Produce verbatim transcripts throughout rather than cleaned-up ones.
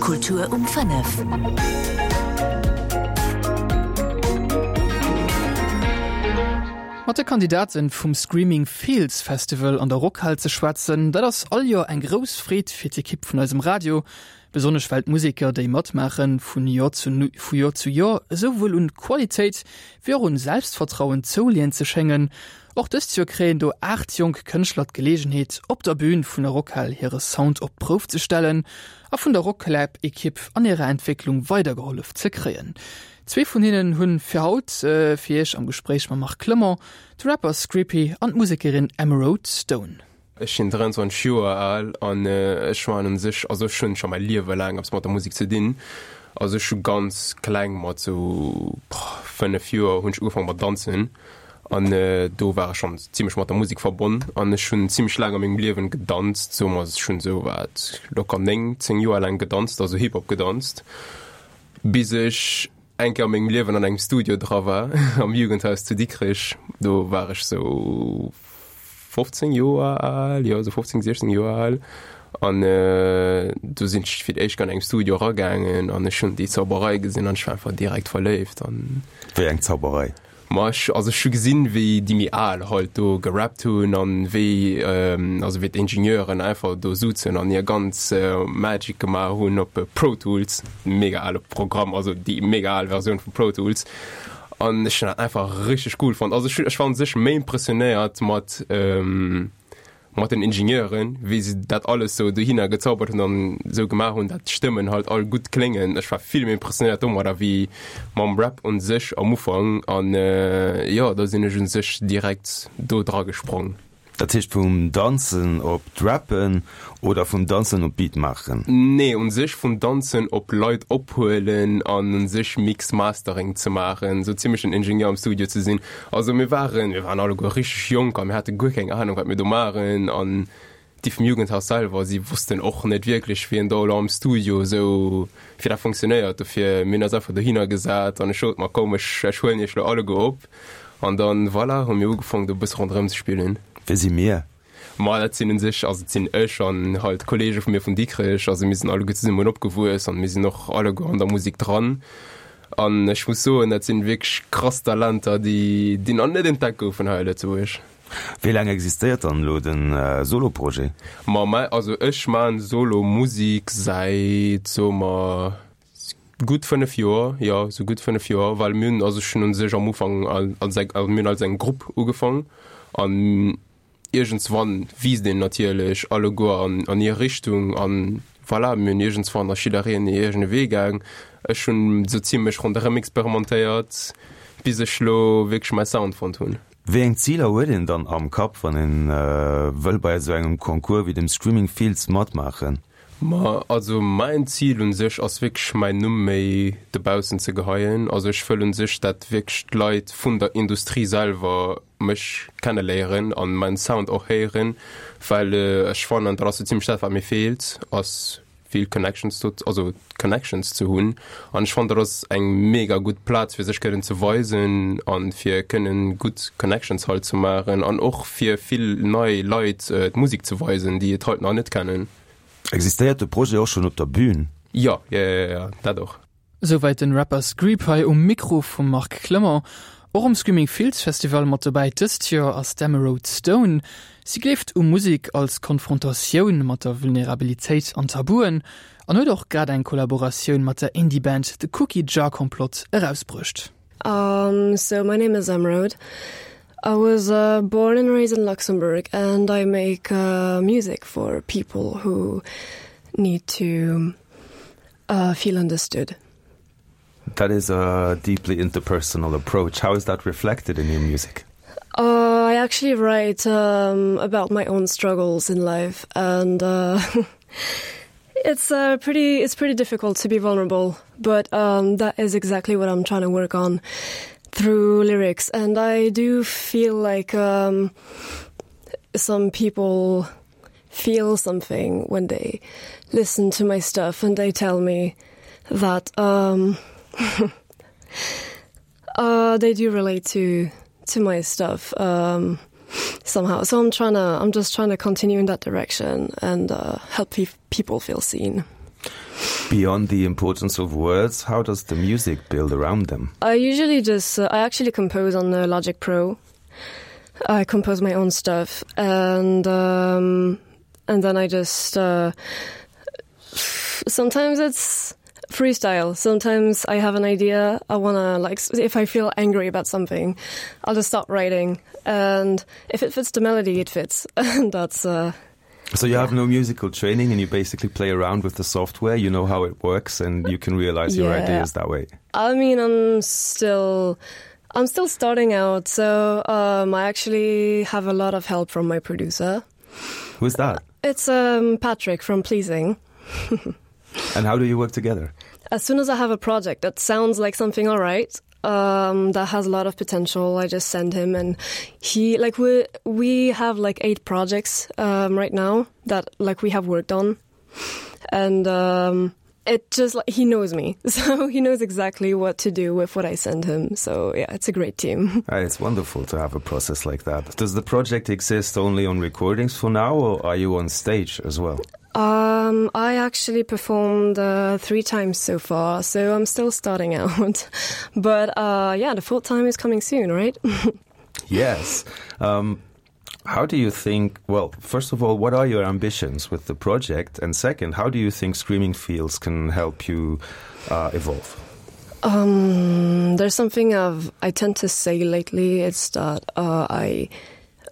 Kultur um fënnef. Mat de Kandidaten vum Screaming Fields Festival an der Rockhal ze schwätzen, dat ass all Joer eng grouss Freed fir d'Ekipp vun eisem Radio. Besonnesch well d'Museker, déi matmaachen, vun Joer zu vu Joer zu Joer esouwuel un Qualitéit wéi och un Selbstvertrauen zouleeën ze schéngen. Och dëst Joer kréien do aacht jonk Kënschtler d'Geleegenheet, op der Bün vun der Rockhal hire Sound op d'Prouf ze stellen a vun der Rocklab-Ekipp an hirer Entwécklung weidergehollef ze kréien. Zwee vun hinnen hunn fir haut fir iech am Gespréich mam Marc Clement, de Rapper Screepy an d'Musekerin Emeraude Stone. Ech sinn dräianzwanzeg Joer al an ech man un sech, also ech hunn scho mäi Liewe laang eppes mat der Musek ze dinn. Also ech hu ganz kleng mat sou fënnef Joer hunn ech ugefaange mat danzen an do war ech schonn zimmlech mat der Musek verbonn an ech hunn zimmlech laang a mengem Liewen gedanzt, soe mer ech hunn sou wat locker néng, zéng Joer laang gedanzt, also Hip-Hop gedanzt, bis ech eng Kéier a mengem Liewen an engem Studio dra war am Jugendhaus zu Dikrech. Do war ech sou fofzéng Joer al, jo sou fofzéng, siechzéng Joer al an do sinn ech fir d'éischt an engem Studio eragaangen an ech hunn déi Zauberei gesinn an ech war einfach direkt verléift an. Wéi eng Zauberei? Ma ech, also ech hu gesinn, wéi déi méi al halt do gerappt hunn an wéi, also wéi d'Ingenieuren einfach do suzen an hir ganz Magic gemaach hunn op Pro Tools, mega ale Programm, also déi mega al Versioun vu Pro Tools. An ech hunn dat einfach richteg cool fonnt. Also ech, ech war un sech méi impressionéiert mat, mat den Ingenieuren, wéi se dat alles sou dohinner gezaubert hunn an sou gemaach hunn, dat d'Stëmmen halt all gutt kléngen. Ech war vill méi impressionéiert domadder wéi mam Rap un sech am Ufank an jo, da sinn ech un sech direkt do dra gesprong. Dat heescht vum Danzen op d'Rappen oder vum Danzen op Beat maachen? Nee, un sech vum Danzen op Leit ophuelen an un sech Mix Mastering ze maachen, sou zimmlech den Ingenieur am Studio ze sinn. Also mir waren, mir waren alleguer richteg jonk a mir hate guer keng Ahnung wat mir do maachen an déi vum Jugendhaus selwer, si wossten och net wierklech wéi een do elo am Studio esou, wéi dat funktionéiert. Dofir mir hunn eis einfach dohinner gesat an ech sot, ma komm ech, ech huelen iech elo alleguer op an dann voilà hu mir ugefaangen do e bësse ronderëm ze spillen. Wie si mir? Ma dat sinn un sech, also et sinn ech an halt Kollege vu mir vun Dikrech, also mir sinn alleguer zesummen opgewuess an mir sinn och alleguer an der Musek dran. An ech muss soen, dat sinn wierklech krass Talenter, déi, déi nach net entdeckt goufen hei a Lëtzebuerg. Wéi laang existéiert dann elo de Solo-Projet? Ma mäi, also ech maan Solo-Musek säit, soe mer, gutt fënnef Joer, jo, sou gutt fënnef Joer, well mir hunn, also ech hunn un sech am Ufank als eng, also mir hunn als eng Grupp ugefaang an iergendswann wiisst een natierlech alleguer an an hir Richtung an voilà, mir hunn iergendswann ass jiddereen e eegene Wee gaang. Ech hunn sou zimmlech ronderëm experimentéiert, bis ech lo wierklech mäi Sound fonnt hunn. Wéi eng Ziler huet een dann am Kapp, wann een wëll bei esou engem Concours wéi dem Screaming Fields matmaachen? Ma also mäin Zil un sech ass wierklech mäin Numm méi dobaussen ze geheien. Also ech wëll un sech dat wierklech d'Leit vun der Industrie selwer mech kenneléieren an mäin Sound och héieren, well ech fannen dat ass sou zimmlech dat wat mir feelt, ass vill Connections do, also Connections ze hunn. An ech fannen dat ass eng mega gutt Plaz fir sech kënnen ze weisen an fir kënnen gutt Connections halt ze maachen an och fir vill nei Leit d'Musek ze weisen, déi et halt nach net kennen. Existéiert de Projet och schonn op der Bühn? Jo, jo, jo, jo, dat och. Souwäit den Rapper Screepie um Mikro vum Marc Clement. Och um Screaming Fields Festival mat dobäi dëst Joer ass d'Emeraude Stone. Si gleeft u Musek als Konfrontatioun mat der Vulnerabilitéit an Tabuen an huet och grad eng Kollaboratioun mat der Indie-Band The Cookie Jar Complot erausbruecht. Um, so my name is Emeraude. I was uh, born and raised in Luxembourg and I make uh, music for people who need to uh, feel understood. That is a deeply interpersonal approach. How is that reflected in your music? Uh, I actually write um, about my own struggles in life and uh, it's uh, pretty it's pretty difficult to be vulnerable, but um, that is exactly what I'm trying to work on through lyrics and I do feel like um, some people feel something when they listen to my stuff and they tell me that um, uh, they do relate to to my stuff um, somehow. So I'm trying to I'm just trying to continue in that direction and uh, help pe people feel seen. Beyond the importance of words, how does the music build around them? I usually just uh, I actually compose on the Logic Pro. I compose my own stuff and um, and then I just uh, sometimes it's freestyle. Sometimes I have an idea I wanna like if I feel angry about something, I'll just start writing and if it fits the melody, it fits and that's uh, So you have no musical training and you basically play around with the software, you know how it works and you can realize your yeah. ideas that way. I mean I'm still I'm still starting out, so um, I actually have a lot of help from my producer. Who's that? It's um, Patrick from Pleasing. And how do you work together? As soon as I have a project that sounds like something all right, um, that has a lot of potential, I just send him and he like we we have like eight projects um, right now that like we have worked on and um, it just like he knows me so he knows exactly what to do with what I send him so yeah it's a great team ah, it's wonderful to have a process like that does the project exist only on recordings for now or are you on stage as well um I actually performed uh, three times so far so I'm still starting out but uh yeah the full time is coming soon right yes um how do you think well first of all what are your ambitions with the project and second how do you think screaming fields can help you uh, evolve um there's something of I tend to say lately it's that uh, I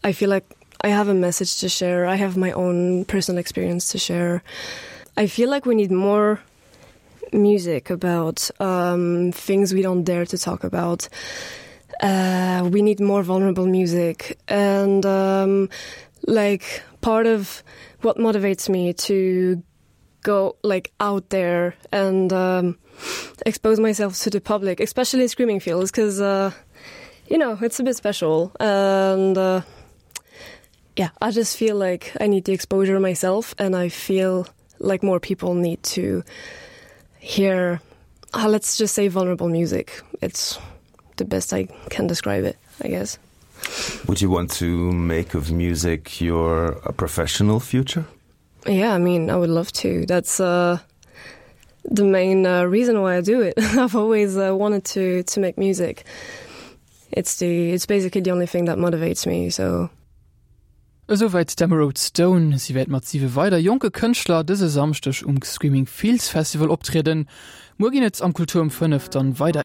I feel like I have a message to share I have my own personal experience to share I feel like we need more music about um things we don't dare to talk about uh we need more vulnerable music and um like part of what motivates me to go like out there and um expose myself to the public especially screaming fields because uh you know it's a bit special and uh yeah I just feel like I need the exposure myself and I feel like more people need to hear uh, let's just say vulnerable music it's the best I can describe it I guess would you want to make of music your a professional future yeah I mean I would love to that's uh the main uh, reason why I do it I've always uh, wanted to to make music it's the it's basically the only thing that motivates me so Esouwäit d'Emerald Stone. Si wäert mat siwe weider jonke Kënschtler dëse Samschdeg um Screaming Fields Festival optrieden. Muer ginn et am Kultur um fënnef dann weider.